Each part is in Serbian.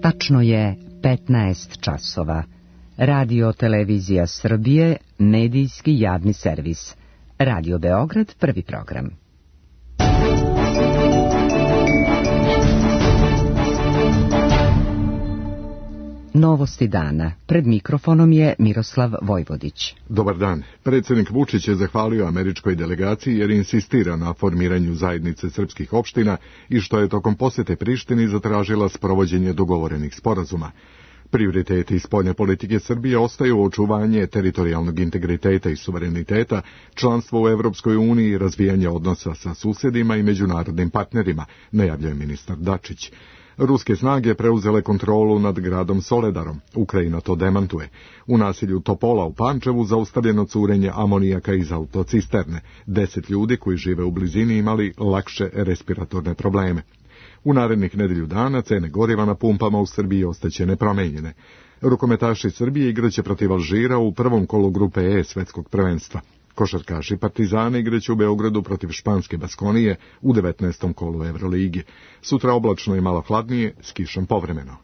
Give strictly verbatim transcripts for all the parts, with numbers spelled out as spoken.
Tačno je petnaest časova. Radio Televizija Srbije, medijski javni servis. Radio Beograd, prvi program. Novosti dana. Pred mikrofonom je Miroslav Vojvodić. Dobar dan. Predsjednik Vučić je zahvalio američkoj delegaciji jer insistira na formiranju zajednice srpskih opština i što je tokom posjete Prištini zatražila sprovođenje dogovorenih sporazuma. Prioriteti spoljne politike Srbije ostaju očuvanje teritorijalnog integriteta i suvereniteta, članstvo u Evropskoj uniji i razvijanje odnosa sa susjedima i međunarodnim partnerima, najavljuje ministar Dačić. Ruske snage preuzele kontrolu nad gradom Soledarom. Ukrajina to demantuje. U naselju Topola u Pančevu zaustavljeno curenje amonijaka iz autocisterne. Deset ljudi koji žive u blizini imali lakše respiratorne probleme. U narednih nedelju dana cene goriva na pumpama u Srbiji ostaće nepromenjene. Rukometaši Srbije igraće protiv Alžira u prvom kolu grupe E svetskog prvenstva. Košarkaši Partizana igraće u Beogradu protiv španske Baskonije u devetnaestom kolu Euroligi. Sutra oblačno i malo hladnije, s kišom povremeno.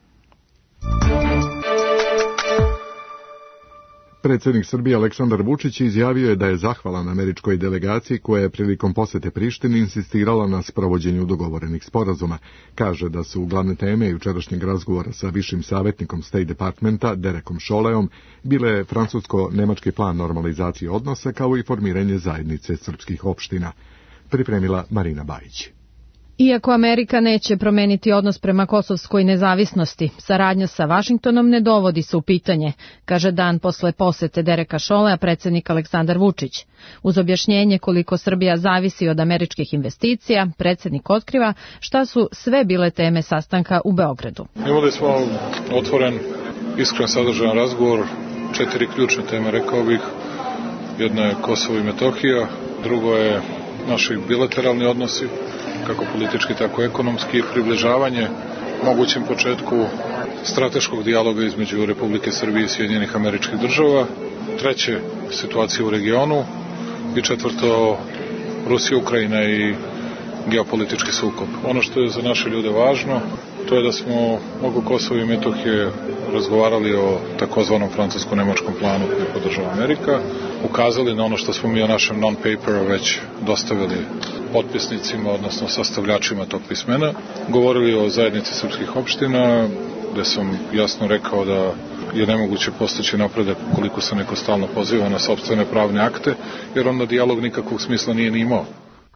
Predsjednik Srbije Aleksandar Vučić izjavio je da je zahvalan američkoj delegaciji koja je prilikom posjete Prištini insistirala na sprovođenju dogovorenih sporazuma. Kaže da su glavne teme jučerašnjeg razgovora sa višim savjetnikom State Departmenta Derekom Šoleom bile francusko-nemački plan normalizacije odnosa kao i formiranje zajednice srpskih opština. Pripremila Marina Bajić. Iako Amerika neće promeniti odnos prema kosovskoj nezavisnosti, saradnja sa Vašingtonom ne dovodi se u pitanje, kaže dan posle posete Dereka Šolea predsjednik Aleksandar Vučić. Uz objašnjenje koliko Srbija zavisi od američkih investicija, predsjednik otkriva šta su sve bile teme sastanka u Beogradu. Imali smo otvoren, iskren, sadržajan razgovor, četiri ključne teme, rekao bih. Jedna je Kosovo i Metohija, drugo je naši bilateralni odnosi, kako politički, tako ekonomski, približavanje mogućem početku strateškog dijaloga između Republike Srbije i Sjedinjenih Američkih Država, treće, situacija u regionu i četvrto, Rusija, Ukrajina i geopolitički sukob. Ono što je za naše ljude važno, to je da smo oko Kosova i Metohije razgovarali o takozvanom francusko-nemačkom planu koji podržava Amerika, ukazali na ono što smo mi o našem non-paperu već dostavili potpisnicima, odnosno sastavljačima tog pismena, govorili o zajednici srpskih opština, gde sam jasno rekao da je nemoguće postići napredak koliko se neko stalno poziva na sopstvene pravne akte, jer onda dijalog nikakvog smisla nije ni imao.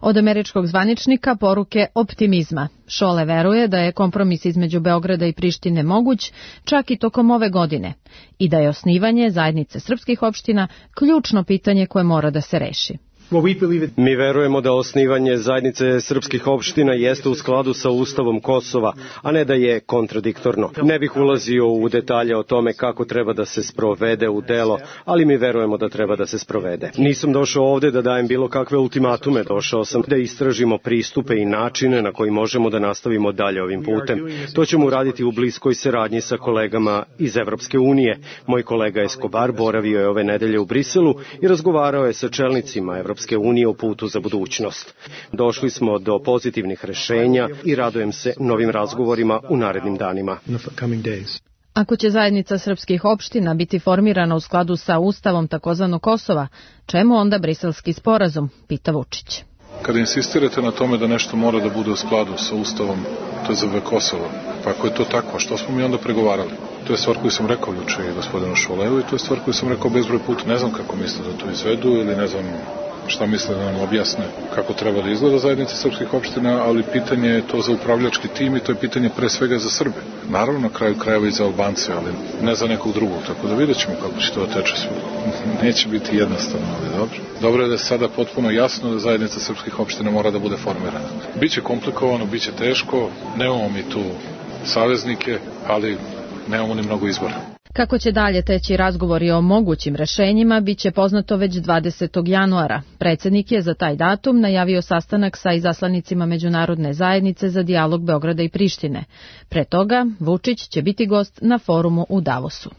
Od američkog zvaničnika poruke optimizma. Šole veruje da je kompromis između Beograda i Prištine moguć čak i tokom ove godine i da je osnivanje zajednice srpskih opština ključno pitanje koje mora da se reši. Mi verujemo da osnivanje zajednice srpskih opština jeste u skladu sa Ustavom Kosova, a ne da je kontradiktorno. Ne bih ulazio u detalje o tome kako treba da se sprovede u delo, ali mi verujemo da treba da se sprovede. Nisam došao ovde da dajem bilo kakve ultimatume, došao sam da istražimo pristupe i načine na koji možemo da nastavimo dalje ovim putem. To ćemo uraditi u bliskoj saradnji sa kolegama iz Evropske unije. Moj kolega Escobar boravio je ove nedelje u Briselu i razgovarao je sa čelnicima Evropske unije o putu za budućnost. Došli smo do pozitivnih rešenja i radujem se novim razgovorima u narednim danima. Ako će zajednica srpskih opština biti formirana u skladu sa ustavom takozvanog Kosova, čemu onda briselski sporazum, pita Vučić. Kada insistirate na tome da nešto mora da bude u skladu sa ustavom, to je za Kosovo. Pa ako je to tako, što smo mi onda pregovarali? To je stvar koju sam rekao juče i gospodinu Šoleu i to je stvar koju sam rekao bezbroj puta. Ne znam kako misle da to izvedu ili ne znam šta misle da nam objasne kako treba da izgleda zajednica srpskih opština, ali pitanje je to za upravljački tim i to je pitanje pre svega za Srbe. Naravno na kraju krajeva i za Albance, ali ne za nekog drugog, tako da vidjet ćemo kako će to teče sve. Neće biti jednostavno, ali dobro. Dobro je da je sada potpuno jasno da zajednica srpskih opština mora da bude formirana. Biće komplikovano, biće teško, nemamo mi tu saveznike, ali nemamo ni mnogo izbora. Kako će dalje teći razgovori o mogućim rešenjima, bit će poznato već dvadesetog januara. Predsjednik je za taj datum najavio sastanak sa izaslanicima međunarodne zajednice za dijalog Beograda i Prištine. Pre toga, Vučić će biti gost na forumu u Davosu.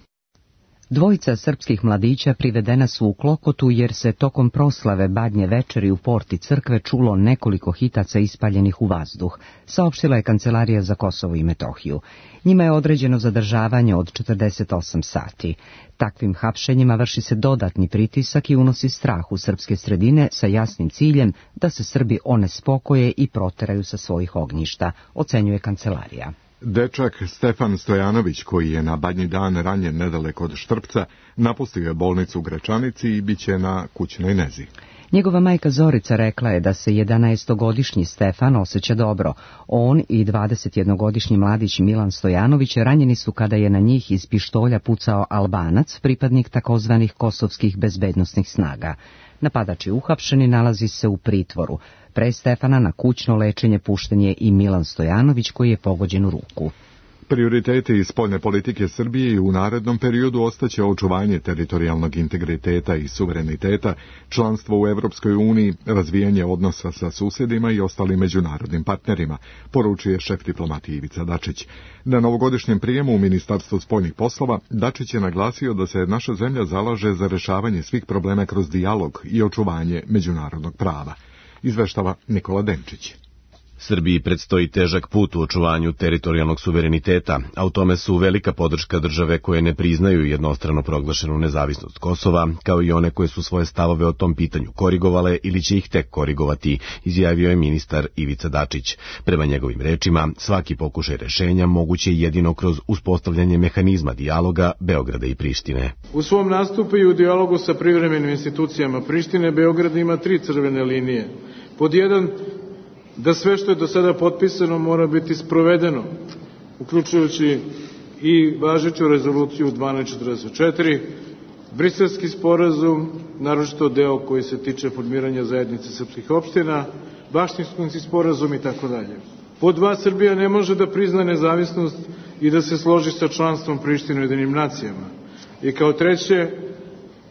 Dvojica srpskih mladića privedena su u Klokotu jer se tokom proslave Badnje večeri u porti crkve čulo nekoliko hitaca ispaljenih u vazduh, saopštila je Kancelarija za Kosovo i Metohiju. Njima je određeno zadržavanje od četrdeset osam sati. Takvim hapšenjima vrši se dodatni pritisak i unosi strah u srpske sredine sa jasnim ciljem da se Srbi onespokoje i proteraju sa svojih ognjišta, ocenjuje Kancelarija. Dečak Stefan Stojanović, koji je na Badnji dan ranjen nedaleko od Štrpca, napustio je bolnicu u Gračanici i bit će na kućnoj nezi. Njegova majka Zorica rekla je da se jedanaestogodišnji Stefan osjeća dobro. On i dvadesetjednogodišnji mladić Milan Stojanović ranjeni su kada je na njih iz pištolja pucao Albanac, pripadnik takozvanih kosovskih bezbednosnih snaga. Napadač je uhapšen i nalazi se u pritvoru. Pre Stefana na kućno lečenje pušten je i Milan Stojanović, koji je pogođen u ruku. Prioriteti iz spoljne politike Srbije i u narednom periodu ostaće očuvanje teritorijalnog integriteta i suvereniteta, članstvo u Evropskoj uniji, razvijanje odnosa sa susjedima i ostalim međunarodnim partnerima, poručuje šef diplomatije Ivica Dačić. Na novogodišnjem prijemu u Ministarstvu spoljnih poslova Dačić je naglasio da se naša zemlja zalaže za rešavanje svih problema kroz dijalog i očuvanje međunarodnog prava. Izveštava Nikola Denčić. Srbiji predstoji težak put u očuvanju teritorijalnog suvereniteta, a u tome su velika podrška države koje ne priznaju jednostrano proglašenu nezavisnost Kosova, kao i one koje su svoje stavove o tom pitanju korigovale ili će ih tek korigovati, izjavio je ministar Ivica Dačić. Prema njegovim rečima, svaki pokušaj rešenja moguće je jedino kroz uspostavljanje mehanizma dijaloga Beograda i Prištine. U svom nastupu i u dijalogu sa privremenim institucijama Prištine, Beograd ima tri crvene linije. Pod jedan, da sve što je do sada potpisano mora biti sprovedeno, uključujući i važeću rezoluciju dvanaest četrdeset četiri, Briselski sporazum, naročito deo koji se tiče formiranja zajednice srpskih opština, Vašingtonski sporazum i tako dalje. Pod dva, Srbija ne može da prizna nezavisnost i da se složi sa članstvom Prištine u Ujedinjenim nacijama. I kao treće,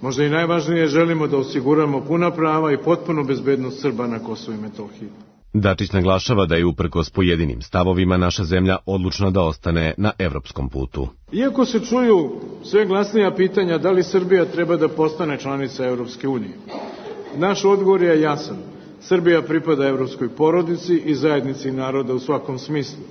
možda i najvažnije, želimo da osiguramo puna prava i potpunu bezbednost Srba na Kosovu i Metohiji. Dačić naglašava da je uprkos pojedinim stavovima naša zemlja odlučna da ostane na evropskom putu. Iako se čuju sve glasnija pitanja da li Srbija treba da postane članica Evropske unije, naš odgovor je jasan. Srbija pripada evropskoj porodici i zajednici naroda u svakom smislu.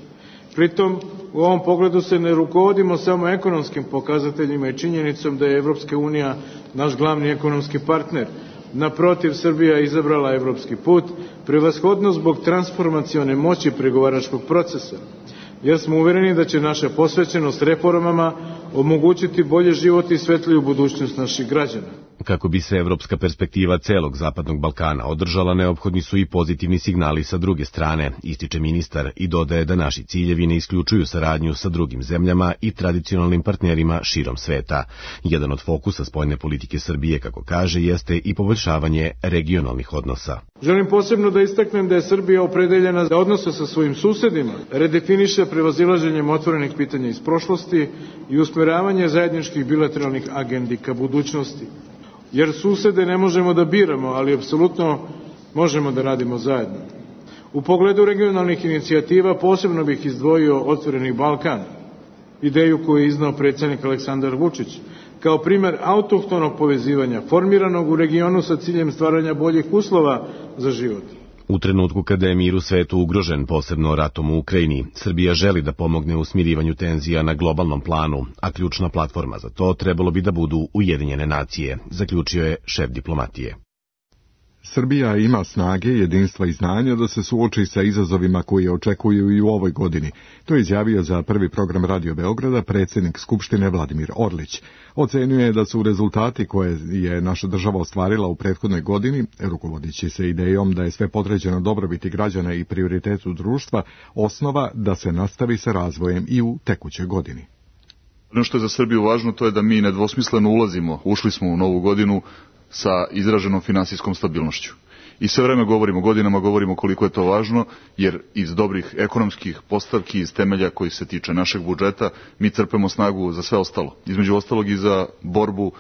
Pritom, u ovom pogledu se ne rukovodimo samo ekonomskim pokazateljima i činjenicom da je Evropska unija naš glavni ekonomski partner. Naprotiv, Srbija je izabrala evropski put, prevashodno zbog transformacione moći pregovaračkog procesa, jer smo uvereni da će naša posvećenost reformama omogućiti bolje život i svetliju budućnost naših građana. Kako bi se evropska perspektiva celog Zapadnog Balkana održala, neophodni su i pozitivni signali sa druge strane, ističe ministar i dodaje da naši ciljevi ne isključuju saradnju sa drugim zemljama i tradicionalnim partnerima širom sveta. Jedan od fokusa spoljne politike Srbije, kako kaže, jeste i poboljšavanje regionalnih odnosa. Želim posebno da istaknem da je Srbija opredeljena da odnose sa svojim susedima redefiniše prevazilaženjem otvorenih pitanja iz prošlosti i usmeravanje zajedničkih bilateralnih agendi ka budućnosti. Jer susede ne možemo da biramo, ali apsolutno možemo da radimo zajedno. U pogledu regionalnih inicijativa posebno bih izdvojio Otvoreni Balkan, ideju koju je iznao predsjednik Aleksandar Vučić, kao primer autohtonog povezivanja, formiranog u regionu sa ciljem stvaranja boljih uslova za život. U trenutku kada je mir u svetu ugrožen, posebno ratom u Ukrajini, Srbija želi da pomogne u smirivanju tenzija na globalnom planu, a ključna platforma za to trebalo bi da budu Ujedinjene nacije, zaključio je šef diplomatije. Srbija ima snage, jedinstva i znanja da se suoči sa izazovima koji očekuju i u ovoj godini. To je izjavio za prvi program Radio Beograda predsjednik Skupštine Vladimir Orlić. Ocenjuje da su rezultati koje je naša država ostvarila u prethodnoj godini, rukovodeći se idejom da je sve podređeno dobrobiti građana i prioritetu društva, osnova da se nastavi sa razvojem i u tekućoj godini. Ono što je za Srbiju važno, to je da mi nedvosmisleno ulazimo, ušli smo u novu godinu sa izraženom finansijskom stabilnošću. I sve vreme govorimo, godinama govorimo koliko je to važno, jer iz dobrih ekonomskih postavki, iz temelja koji se tiče našeg budžeta, mi crpemo snagu za sve ostalo. Između ostalog i za borbu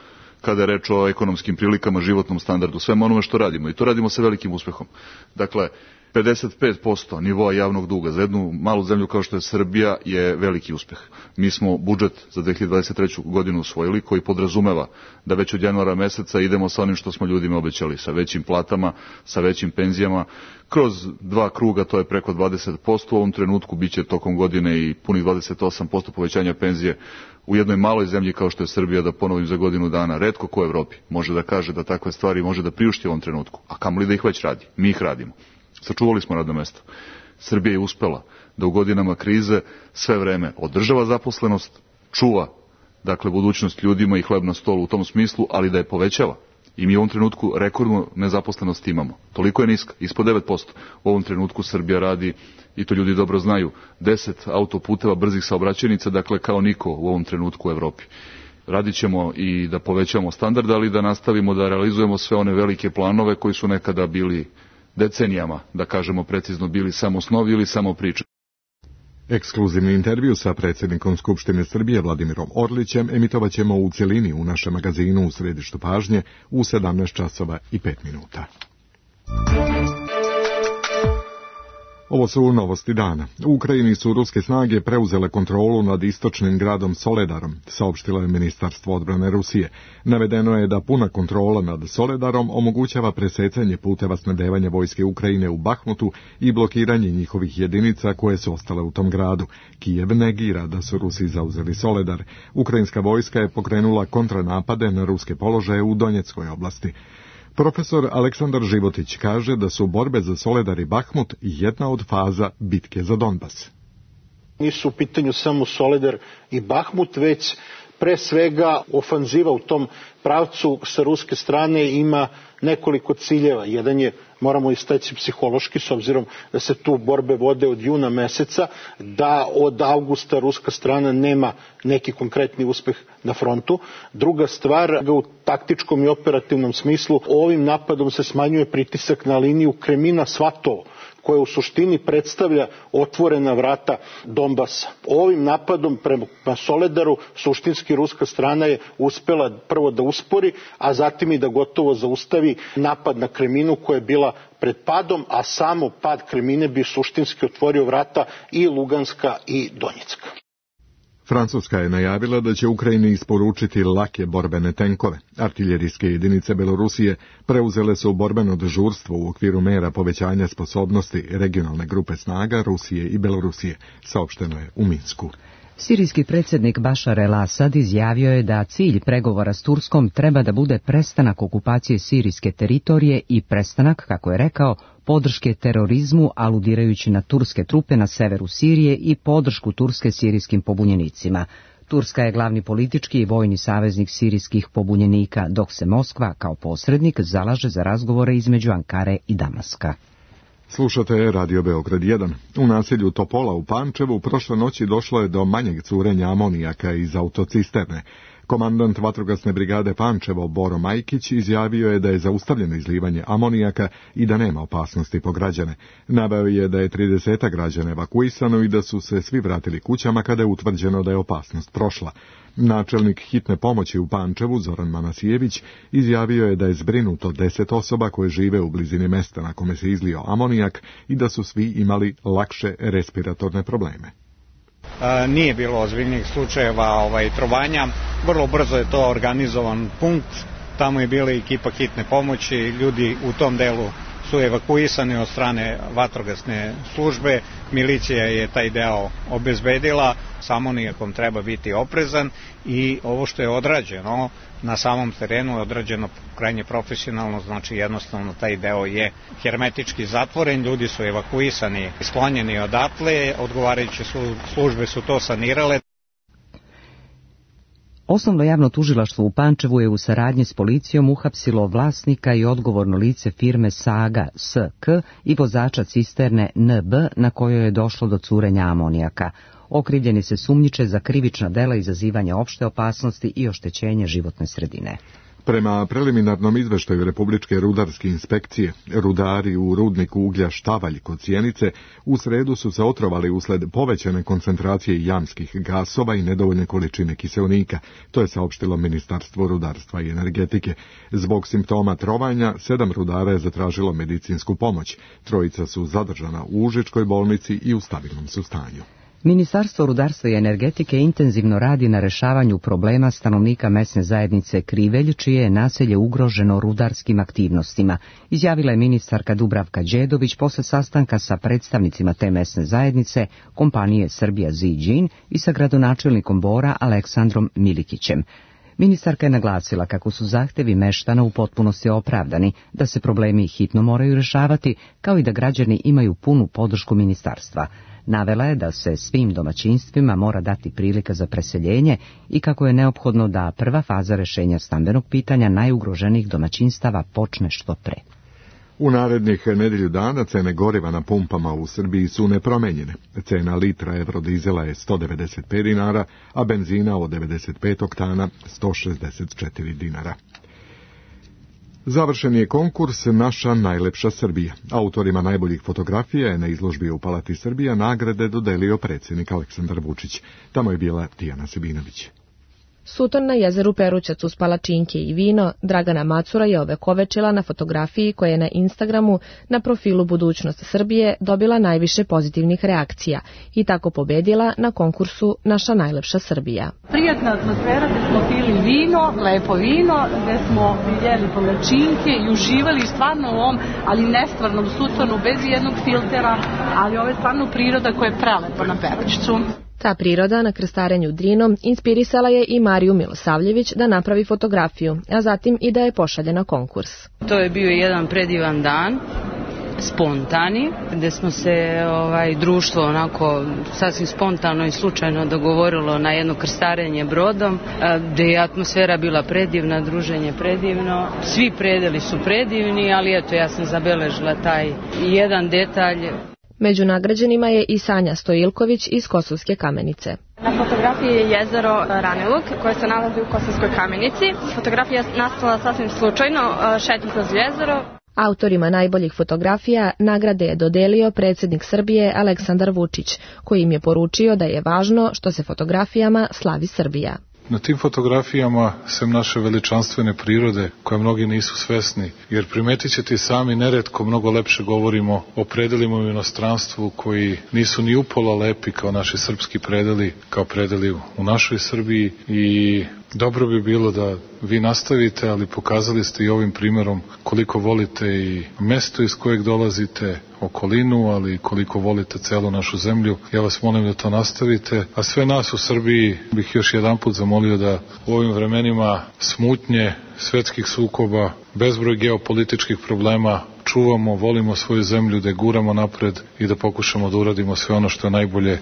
kada je reč o ekonomskim prilikama, životnom standardu, svema onome što radimo. I to radimo sa velikim uspehom. Dakle, pedeset pet posto nivoa javnog duga za jednu malu zemlju kao što je Srbija je veliki uspeh. Mi smo budžet za dve hiljade dvadeset treću godinu usvojili koji podrazumeva da već od januara meseca idemo sa onim što smo ljudima obećali, sa većim platama, sa većim penzijama. Kroz dva kruga to je preko dvadeset posto, u ovom trenutku biće tokom godine i punih dvadeset osam posto povećanja penzije u jednoj maloj zemlji kao što je Srbija, da ponovim za godinu dana. Retko ko u Evropi može da kaže da takve stvari može da priušti u ovom trenutku, a kamoli da ih već radi. Mi ih radimo. Sačuvali smo radno mesto. Srbija je uspela da u godinama krize sve vreme održava zaposlenost, čuva dakle budućnost ljudima i hleb na stolu u tom smislu, ali da je povećava. I mi u ovom trenutku rekordnu nezaposlenost imamo. Toliko je niska, ispod devet posto. U ovom trenutku Srbija radi, i to ljudi dobro znaju, deset autoputeva brzih saobraćajnica, dakle kao niko u ovom trenutku u Evropi. Radit ćemo i da povećamo standard, ali da nastavimo da realizujemo sve one velike planove koji su nekada bili decenijama, da kažemo precizno, bili samo snovi ili samo priče. Ekskluzivni intervju sa predsjednikom Skupštine Srbije Vladimirom Orlićem emitovat ćemo u cjelini u našem magazinu U središtu pažnje u sedamnaest časova i pet minuta. Ovo su novosti dana. U Ukrajini su ruske snage preuzele kontrolu nad istočnim gradom Soledarom, saopštilo je Ministarstvo odbrane Rusije. Navedeno je da puna kontrola nad Soledarom omogućava presecanje puteva snabdevanja vojske Ukrajine u Bahmutu i blokiranje njihovih jedinica koje su ostale u tom gradu. Kijev negira da su Rusi zauzeli Soledar. Ukrajinska vojska je pokrenula kontranapade na ruske položaje u Donjeckoj oblasti. Profesor Aleksandar Životić kaže da su borbe za Soledar i Bahmut jedna od faza bitke za Donbas. Nisu u pitanju samo Soledar i Bahmut, već pre svega ofanziva u tom pravcu sa ruske strane ima nekoliko ciljeva. Jedan je, moramo istaći, psihološki, s obzirom da se tu borbe vode od juna meseca, da od avgusta ruska strana nema neki konkretni uspeh na frontu. Druga stvar, u taktičkom i operativnom smislu, ovim napadom se smanjuje pritisak na liniju Kremina-Svatovo, koja u suštini predstavlja otvorena vrata Donbasa. Ovim napadom prema Soledaru suštinski ruska strana je uspela prvo da uspori, a zatim i da gotovo zaustavi napad na Kreminu koja je bila pred padom, a samo pad Kremine bi suštinski otvorio vrata i Luganska i Donjecka. Francuska je najavila da će Ukrajini isporučiti lake borbene tenkove. Artiljerijske jedinice Belorusije preuzele su borbeno dežurstvo u okviru mera povećanja sposobnosti regionalne grupe snaga Rusije i Belorusije, saopšteno je u Minsku. Sirijski predsjednik Bašar el-Asad izjavio je da cilj pregovora s Turskom treba da bude prestanak okupacije sirijske teritorije i prestanak, kako je rekao, podrške terorizmu, aludirajući na turske trupe na severu Sirije i podršku Turske sirijskim pobunjenicima. Turska je glavni politički i vojni saveznik sirijskih pobunjenika, dok se Moskva kao posrednik zalaže za razgovore između Ankare i Damaska. Slušate Radio Beograd jedan. U naselju Topola u Pančevu prošle noći došlo je do manjeg curenja amonijaka iz autocisterne. Komandant vatrogasne brigade Pančevo Boro Majkić izjavio je da je zaustavljeno izlivanje amonijaka i da nema opasnosti po građane. Naveo je da je trideset građana evakuisano i da su se svi vratili kućama kada je utvrđeno da je opasnost prošla. Načelnik hitne pomoći u Pančevu, Zoran Manasijević, izjavio je da je zbrinuto deset osoba koje žive u blizini mesta na kome se izlio amonijak i da su svi imali lakše respiratorne probleme. E, nije bilo ozbiljnih slučajeva ovaj, trovanja. Vrlo brzo je to organizovan punkt. Tamo je bila ekipa hitne pomoći. Ljudi u tom delu su evakuisani od strane vatrogasne službe. Milicija je taj deo obezbedila. S amonijakom treba biti oprezan i ovo što je odrađeno na samom terenu je odrađeno krajnje profesionalno, znači jednostavno taj deo je hermetički zatvoren, ljudi su evakuisani, sklonjeni odatle, odgovarajuće službe su to sanirale. Osnovno javno tužilaštvo u Pančevu je u saradnji s policijom uhapsilo vlasnika i odgovorno lice firme Saga S K i vozača cisterne N B na kojoj je došlo do curenja amonijaka. Okrivljeni se sumnjiče za krivična dela izazivanja opšte opasnosti i oštećenja životne sredine. Prema preliminarnom izveštaju Republičke rudarske inspekcije, rudari u rudniku uglja Štavalj kod Sjenice u sredu su se otrovali usled povećane koncentracije jamskih gasova i nedovoljne količine kiseonika, to je saopštilo Ministarstvo rudarstva i energetike. Zbog simptoma trovanja, sedam rudara je zatražilo medicinsku pomoć. Trojica su zadržana u Užičkoj bolnici i u stabilnom su stanju. Ministarstvo rudarstva i energetike intenzivno radi na rešavanju problema stanovnika mesne zajednice Krivelj, čije je naselje ugroženo rudarskim aktivnostima, izjavila je ministarka Dubravka Đedović posle sastanka sa predstavnicima te mesne zajednice, kompanije Srbija Ziđin i sa gradonačelnikom Bora Aleksandrom Milikićem. Ministarka je naglasila kako su zahtevi meštana u potpunosti opravdani, da se problemi hitno moraju rešavati, kao i da građani imaju punu podršku ministarstva. Navela je da se svim domaćinstvima mora dati prilika za preseljenje i kako je neophodno da prva faza rešenja stambenog pitanja najugroženijih domaćinstava počne što pre. U narednih nedelju dana cene goriva na pumpama u Srbiji su nepromenjene. Cena litra evrodizela je sto devedeset pet dinara, a benzina od devedeset pet oktana sto šezdeset četiri dinara. Završen je konkurs Naša najlepša Srbija. Autorima najboljih fotografija je na izložbi u Palati Srbija nagrade dodelio predsjednik Aleksandar Vučić. Tamo je bila Tijana Sebinović. Suton na jezeru Perućac uz palačinke i vino Dragana Macura je ovekovečila na fotografiji koja je na Instagramu na profilu Budućnost Srbije dobila najviše pozitivnih reakcija i tako pobedila na konkursu Naša najlepša Srbija. Prijatna atmosfera gde smo pili vino, lepo vino, gde smo jeli palačinke i uživali stvarno u ovom, ali nestvarnom Sutonu bez jednog filtera, ali ovo je stvarno priroda koja je prelepa na Perućcu. Ta priroda na krstarenju Drinom inspirisala je i Mariju Milosavljević da napravi fotografiju, a zatim i da je pošalje na konkurs. To je bio jedan predivan dan, spontani, gde smo se ovaj, društvo onako sasvim spontano i slučajno dogovorilo na jedno krstarenje brodom, gde je atmosfera bila predivna, druženje predivno, svi predeli su predivni, ali eto ja sam zabeležila taj jedan detalj. Među nagrađenima je i Sanja Stojilković iz Kosovske Kamenice. Na fotografiji je jezero Raniluk koje se nalazi u Kosovskoj Kamenici. Fotografija je nastala sasvim slučajno, šetnjom kroz jezero. Autorima najboljih fotografija nagrade je dodelio predsjednik Srbije Aleksandar Vučić, koji im je poručio da je važno što se fotografijama slavi Srbija. Na tim fotografijama, sem naše veličanstvene prirode, koje mnogi nisu svesni, jer primetit ćete i sami, neretko mnogo lepše govorimo o predelima u inostranstvu koji nisu ni upola lepi kao naši srpski predeli, kao predeli u našoj Srbiji i dobro bi bilo da vi nastavite, ali pokazali ste i ovim primjerom koliko volite i mesto iz kojeg dolazite, okolinu, ali koliko volite celu našu zemlju. Ja vas molim da to nastavite, a sve nas u Srbiji bih još jedan put zamolio da u ovim vremenima smutnje, svetskih sukoba, bezbroj geopolitičkih problema čuvamo, volimo svoju zemlju, da je guramo napred i da pokušamo da uradimo sve ono što je najbolje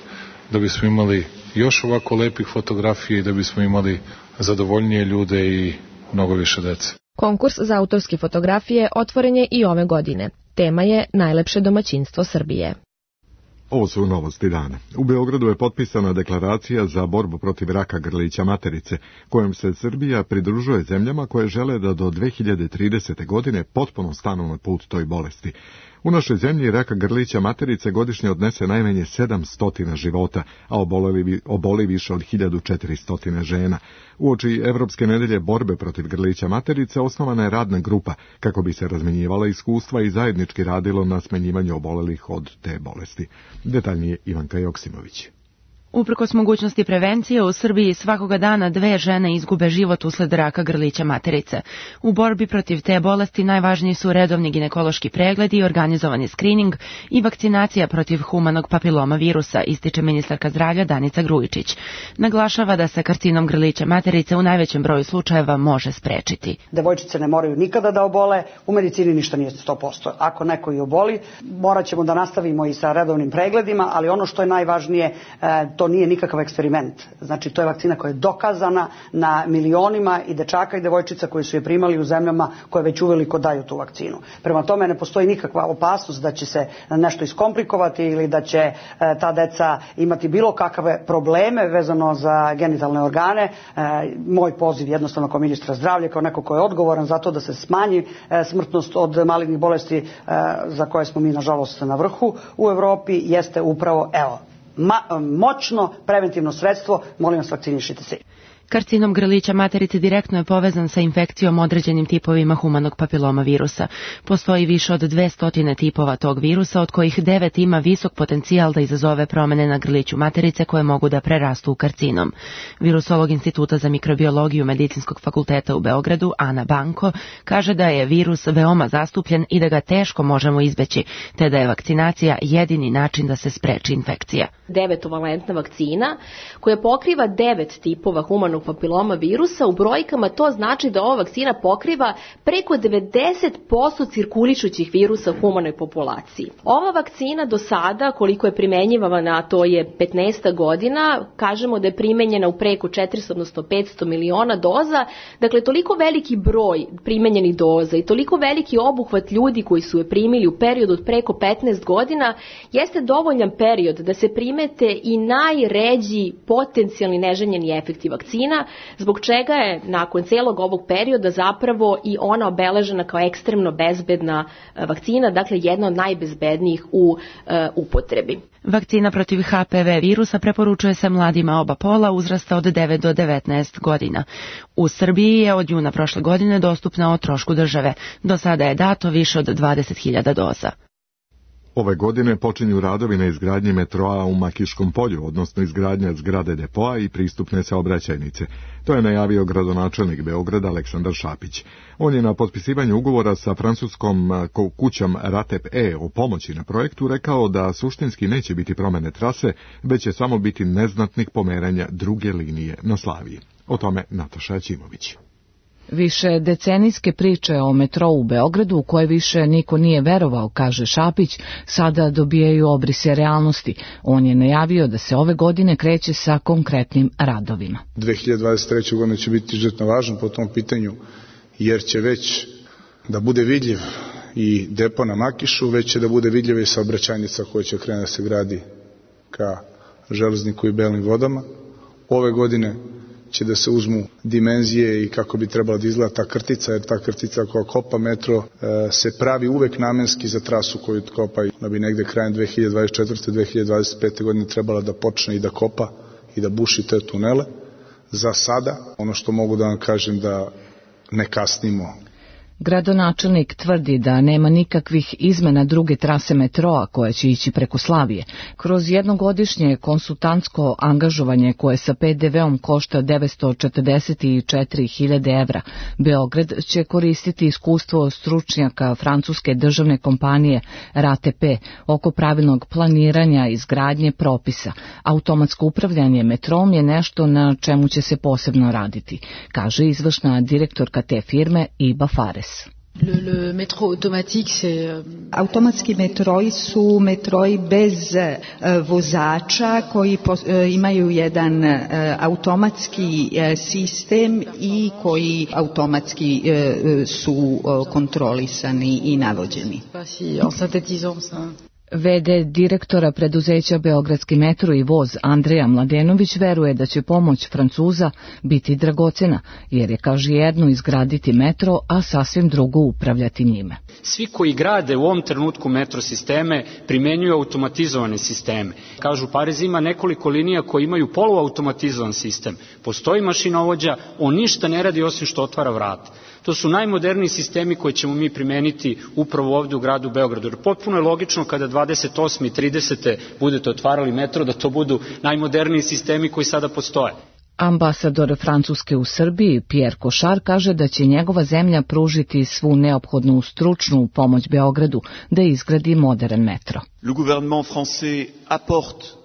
da bismo imali još ovako lepih fotografija i da bismo imali zadovoljnije ljude i mnogo više dece. Konkurs za autorske fotografije otvoren je i ove godine. Tema je Najlepše domaćinstvo Srbije. Ovo su novosti dana. U Beogradu je potpisana deklaracija za borbu protiv raka grlića materice, kojom se Srbija pridružuje zemljama koje žele da do dve hiljade tridesete. godine potpuno stanu na put toj bolesti. U našoj zemlji raka grlića materice godišnje odnese najmanje sedamsto života, a oboli, oboli više od hiljadu četiristo žena. Uoči Evropske nedelje borbe protiv grlića materice osnovana je radna grupa kako bi se razmenjivala iskustva i zajednički radilo na smanjivanju obolelih od te bolesti. Detaljnije Ivanka Joksimović. Uprkos mogućnosti prevencije, u Srbiji svakoga dana dve žene izgube život usled raka grlića materice. U borbi protiv te bolesti najvažniji su redovni ginekološki pregledi, organizovani skrining i vakcinacija protiv humanog papiloma virusa, ističe ministarka zdravlja Danica Grujičić. Naglašava da se karcinom grlića materice u najvećem broju slučajeva može sprečiti. Devojčice ne moraju nikada da obole, u medicini ništa nije sto posto. Ako neko i oboli, morat ćemo da nastavimo i sa redovnim pregledima, ali ono što je najvažnije, to to nije nikakav eksperiment. Znači, to je vakcina koja je dokazana na milionima i dečaka i devojčica koji su je primali u zemljama koje već uveliko daju tu vakcinu. Prema tome ne postoji nikakva opasnost da će se nešto iskomplikovati ili da će ta deca imati bilo kakve probleme vezano za genitalne organe. Moj poziv jednostavno kao ministra zdravlja, kao neko ko je odgovoran za to da se smanji smrtnost od malignih bolesti za koje smo mi nažalost na vrhu u Evropi, jeste upravo evo Ma, moćno preventivno sredstvo, molim vas, vakcinišite se. Karcinom grlića materice direktno je povezan sa infekcijom određenim tipovima humanog papiloma virusa. Postoji više od dvesta tipova tog virusa, od kojih devet ima visok potencijal da izazove promene na grliću materice koje mogu da prerastu u karcinom. Virusolog Instituta za mikrobiologiju Medicinskog fakulteta u Beogradu, Ana Banko, kaže da je virus veoma zastupljen i da ga teško možemo izbeći, te da je vakcinacija jedini način da se spreči infekcija. Devetovalentna vakcina koja pokriva devet tipova humanog papiloma virusa, u brojkama to znači da ova vakcina pokriva preko devedeset posto cirkulišućih virusa u humanoj populaciji. Ova vakcina do sada, koliko je primenjivana, to je petnaest godina, kažemo da je primenjena u preko četiristo, odnosno petsto miliona doza, dakle toliko veliki broj primenjenih doza i toliko veliki obuhvat ljudi koji su je primili u periodu od preko petnaest godina, jeste dovoljan period da se primete i najređi potencijalni neželjeni efekti vakcina, zbog čega je nakon celog ovog perioda zapravo i ona obeležena kao ekstremno bezbedna vakcina, dakle jedna od najbezbednijih u e, upotrebi. Vakcina protiv H P V virusa preporučuje se mladima oba pola uzrasta od devet do devetnaest godina. U Srbiji je od juna prošle godine dostupna o trošku države. Do sada je dato više od dvadeset hiljada doza. Ove godine počinju radovi na izgradnji metroa u Makiškom polju, odnosno izgradnja zgrade depoa i pristupne saobraćajnice. To je najavio gradonačelnik Beograda Aleksandar Šapić. On je na potpisivanju ugovora sa francuskom kućom Ratep E o pomoći na projektu rekao da suštinski neće biti promene trase, već će samo biti neznatnih pomeranja druge linije na Slaviji. O tome Nataša Ćimović. Više decenijske priče o metrou u Beogradu u koje više niko nije verovao, kaže Šapić, sada dobijaju obrise realnosti. On je najavio da se ove godine kreće sa konkretnim radovima. dve hiljade dvadeset treće. godine će biti izuzetno važno po tom pitanju, jer će već da bude vidljiv i depo na Makišu, već će da bude vidljiva i saobraćajnica koja će krenuti da se gradi ka Železniku i Belim vodama. Ove godine će da se uzmu dimenzije i kako bi trebala da izgleda ta krtica, jer ta krtica koja kopa metro e, se pravi uvek namenski za trasu koju kopa, da bi negde krajem dve hiljade dvadeset četvrte. dve hiljade dvadeset pete. godine trebala da počne i da kopa i da buši te tunele. Za sada, ono što mogu da vam kažem, da ne kasnimo. Gradonačelnik tvrdi da nema nikakvih izmena druge trase metroa koja će ići preko Slavije. Kroz jednogodišnje konsultantsko angažovanje koje sa P D V-om košta devetsto četrdeset četiri hiljade evra, Beograd će koristiti iskustvo stručnjaka francuske državne kompanije Ratep oko pravilnog planiranja izgradnje propisa. Automatsko upravljanje metrom je nešto na čemu će se posebno raditi, kaže izvršna direktorka te firme Iba Fares. Le, le métro automatique, c'est... Automatski metroji su metroji bez uh, vozača koji pos, uh, imaju jedan uh, automatski uh, sistem i koji automatski uh, su uh, kontrolisani i navođeni. En synthétisant ça. V D direktora preduzeća Beogradski metro i voz Andreja Mladenović veruje da će pomoć Francuza biti dragocena, jer je, kaže, jedno izgraditi metro, a sasvim drugo upravljati njime. Svi koji grade u ovom trenutku metro sisteme primenjuju automatizovane sisteme. Kažu, Pariz ima nekoliko linija koji imaju poluautomatizovan sistem. Postoji mašinovođa, on ništa ne radi osim što otvara vrata. To su najmoderniji sistemi koje ćemo mi primeniti upravo ovdje u gradu Beogradu. Jer potpuno je logično kada dvadeset osme i tridesete budete otvarali metro da to budu najmoderniji sistemi koji sada postoje. Ambasador Francuske u Srbiji, Pierre Cochard, kaže da će njegova zemlja pružiti svu neophodnu stručnu pomoć Beogradu da izgradi modern metro.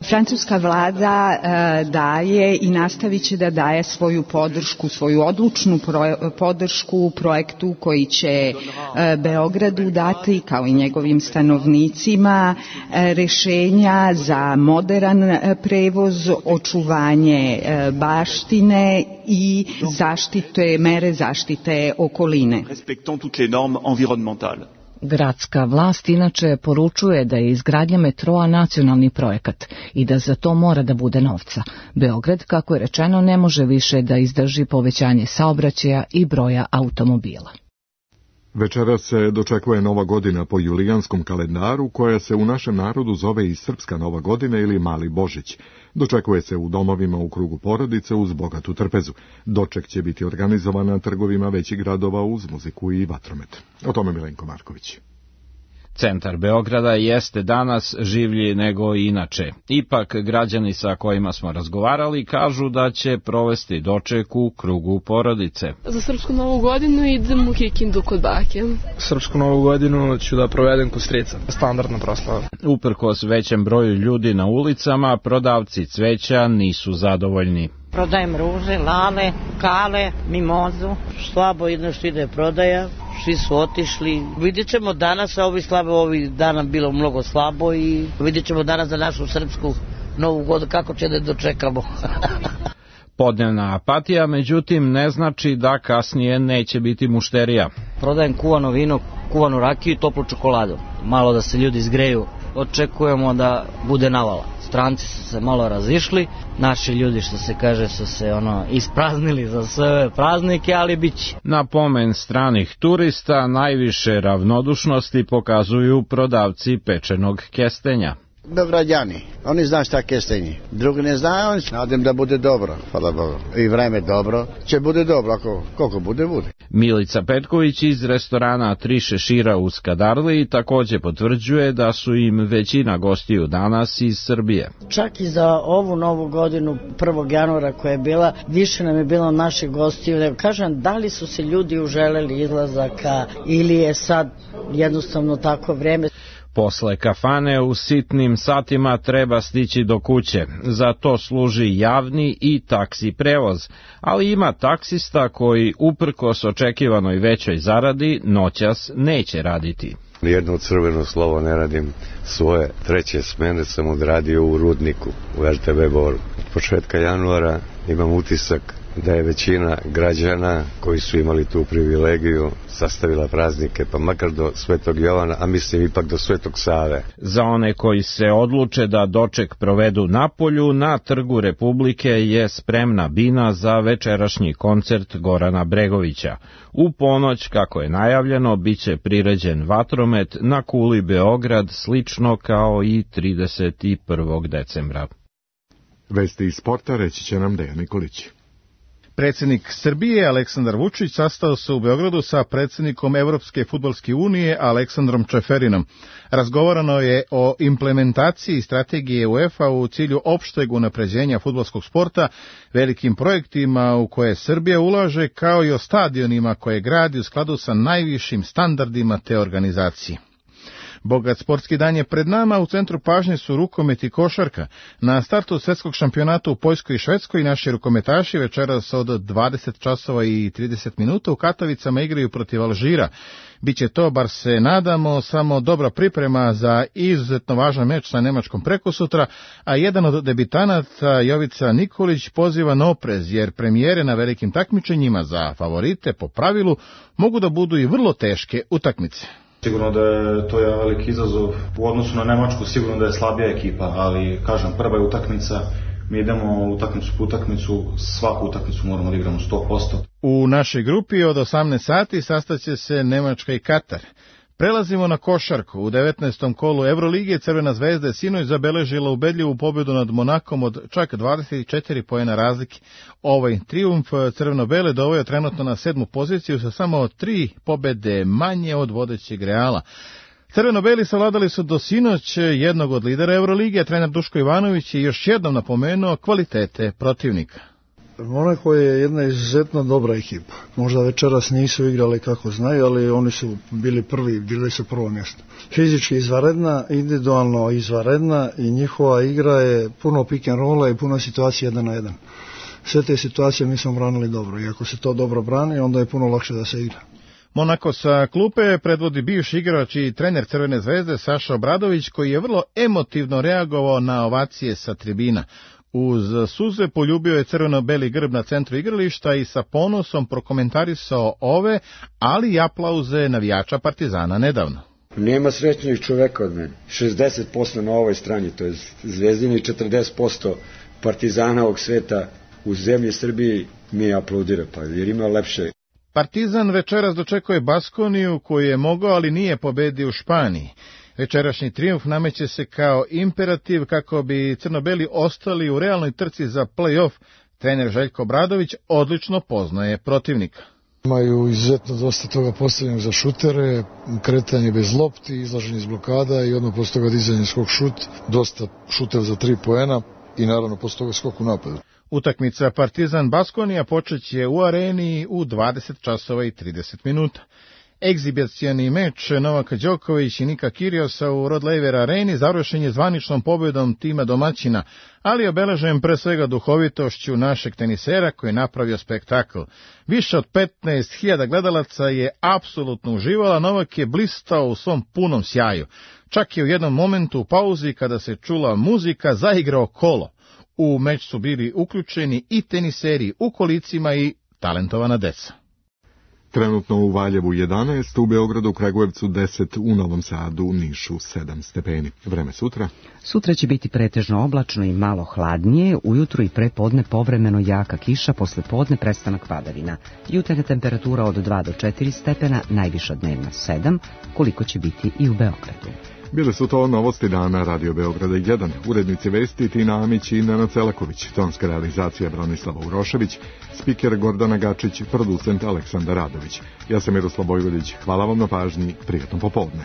Francuska vlada e, daje i nastavit će da daje svoju podršku, svoju odlučnu pro, podršku projektu koji će e, Beogradu dati, kao i njegovim stanovnicima, e, rešenja za modern e, prevoz, očuvanje e, baštine i zaštite, mere zaštite okoline. Gradska vlast inače poručuje da je izgradnja metroa nacionalni projekat i da za to mora da bude novca. Beograd, kako je rečeno, ne može više da izdrži povećanje saobraćaja i broja automobila. Večeras se dočekuje Nova godina po julijanskom kalendaru, koja se u našem narodu zove i Srpska Nova godina ili Mali Božić. Dočekuje se u domovima u krugu porodice uz bogatu trpezu. Doček će biti organizovan na trgovima većih gradova uz muziku i vatromet. O tome Milenko Marković. Centar Beograda jeste danas življi nego inače. Ipak građani sa kojima smo razgovarali kažu da će provesti doček u krugu porodice. Za Srpsku Novu godinu idem u Kikindu kod bake. Srpsku Novu godinu ću da provedem kod strica. Standardna proslava. Uprkos većem broju ljudi na ulicama, prodavci cveća nisu zadovoljni. Prodajem ruže, lale, kale, mimozu. Slabo jedno što ide prodaja, svi su otišli. Vidjet ćemo danas, a ovi slabo, ovih dana bilo mnogo slabo i vidjet ćemo danas za našu Srpsku Novu godinu kako će da dočekamo. Podnevna apatija, međutim, ne znači da kasnije neće biti mušterija. Prodajem kuvano vino, kuvanu rakiju i toplu čokoladu. Malo da se ljudi izgreju. Očekujemo da bude navala. Stranci su se malo razišli, naši ljudi, što se kaže, su se ono ispraznili za sve praznike, ali bit će. Na pomen stranih turista najviše ravnodušnosti pokazuju prodavci pečenog kestenja. Beograđani, oni znaju šta kestenji, drugi ne znaju, oni nadam da bude dobro, hvala Bogu. I vreme dobro, će bude dobro, ako koliko bude, bude. Milica Petković iz restorana Tri šešira u Skadarliji takođe potvrđuje da su im većina gostiju danas iz Srbije. Čak i za ovu novu godinu, prvog januara koja je bila, više nam je bilo naših gostiju. Kažem, da li su se ljudi uželeli izlazaka ili je sad jednostavno tako vreme. Posle kafane u sitnim satima treba stići do kuće. Za to služi javni i taksi prevoz, ali ima taksista koji uprkos očekivanoj većoj zaradi noćas neće raditi. Nijedno crveno slovo ne radim, svoje treće smene sam odradio u Rudniku, u er te ve Boru. Od početka januara imam utisak da je većina građana koji su imali tu privilegiju sastavila praznike, pa makar do Svetog Jovana, a mislim ipak do Svetog Save. Za one koji se odluče da doček provedu napolju, na Trgu Republike je spremna bina za večerašnji koncert Gorana Bregovića. U ponoć, kako je najavljeno, biće priređen vatromet na kuli Beograd, slično kao i trideset prvog decembra. Vesti iz sporta reći će nam Dejan Nikolić. Predsjednik Srbije Aleksandar Vučić sastao se u Beogradu sa predsjednikom Evropske fudbalske unije Aleksandrom Čeferinom. Razgovarano je o implementaciji strategije UEFA u cilju opšteg unapređenja fudbalskog sporta, velikim projektima u koje Srbija ulaže, kao i o stadionima koje gradi u skladu sa najvišim standardima te organizacije. Bogat sportski dan je pred nama, u centru pažnje su rukomet i košarka. Na startu svetskog šampionata u Poljskoj i Švedskoj naši rukometaši večeras od dvadeset časova i trideset minuta u Katovicama igraju protiv Alžira. Biće to, bar se nadamo, samo dobra priprema za izuzetno važan meč sa Nemačkom prekosutra, a jedan od debitanata, Jovica Nikolić, poziva na oprez, jer premijere na velikim takmičenjima za favorite po pravilu mogu da budu i vrlo teške utakmice. Sigurno da je to je veliki izazov u odnosu na Nemačku, sigurno da je slabija ekipa, ali kažem, prva je utakmica, mi idemo utakmicu po utakmicu, svaku utakmicu moramo da igramo sto posto. U našoj grupi od osamnaest sati sastaće se Nemačka i Katar. Prelazimo na košarku. U devetnaestom kolu Evrolige Crvena zvezda je sinoć zabeležila ubedljivu pobedu nad Monakom od čak dvadeset četiri poena razlike. Ovaj trijumf crveno-bele doveo trenutno na sedmu poziciju sa samo tri pobede manje od vodećeg Reala. Crveno-beli savladali su do sinoć jednog od lidera Evrolige, trener Duško Ivanović je još jednom napomenuo kvalitete protivnika. Monako je jedna izuzetno dobra ekipa. Možda večeras nisu igrali kako znaju, ali oni su bili prvi, bili su prvo mjesto. Fizički izvanredna, individualno izvanredna i njihova igra je puno pick and rolla i puno situacija jedan na jedan. Sve te situacije mi smo branili dobro i ako se to dobro brani, onda je puno lakše da se igra. Monako sa klupe predvodi bivši igrač i trener Crvene zvezde Saša Obradović, koji je vrlo emotivno reagovao na ovacije sa tribina. Uz suze poljubio je crveno-beli grb na centru igrališta i sa ponosom prokomentarisao ove, ali i aplauze navijača Partizana nedavno. Nema srećnijih čoveka od mene. šezdeset posto na ovoj strani, to je Zvezdini, četrdeset posto Partizana ovog sveta u zemlji Srbiji mi aplaudira, pa jer ima lepše. Partizan večeras dočekuje Baskoniju, koju je mogao, ali nije pobedio u Španiji. Večerašnji trijumf nameće se kao imperativ kako bi crno-beli ostali u realnoj trci za play-off. Trener Željko Obradović odlično poznaje protivnika. Imaju izuzetno dosta toga postavljenog za šutere, kretanje bez lopti, izlaženje iz blokada i odmah posle toga dizanje skok šut, dosta šuteva za tri poena i naravno posle toga skok u napadu. Utakmica Partizan Baskonija počeće u areni u dvadeset časova i trideset minuta. Egzibicijani meč Novaka Đoković i Nika Kiriosa u Rod Laver areni završen je zvaničnom pobjedom tima domaćina, ali obeležen pre svega duhovitošću našeg tenisera koji je napravio spektakl. Više od petnaest hiljada gledalaca je apsolutno uživala, Novak je blistao u svom punom sjaju. Čak je u jednom momentu u pauzi kada se čula muzika zaigrao kolo. U meč su bili uključeni i teniseri u kolicima i talentovana deca. Trenutno u Valjevu jedanaest, u Beogradu, Kragujevcu deset, u Novom Sadu, u Nišu sedam stepeni. Vreme sutra? Sutra će biti pretežno oblačno i malo hladnije, ujutru i prepodne povremeno jaka kiša, posle podne prestanak padavina. Jutarnja temperatura od dva do četiri stepena, najviša dnevna sedam, koliko će biti i u Beogradu. Bile su to novosti dana Radio Beograda jedan. Urednici vesti Tina Amić i Nenad Celaković, tonska realizacija Branislava Urošević, spiker Gordana Gačić, producent Aleksandar Radović. Ja sam Miroslav Bojvodić, hvala vam na pažnji, prijatno popodne.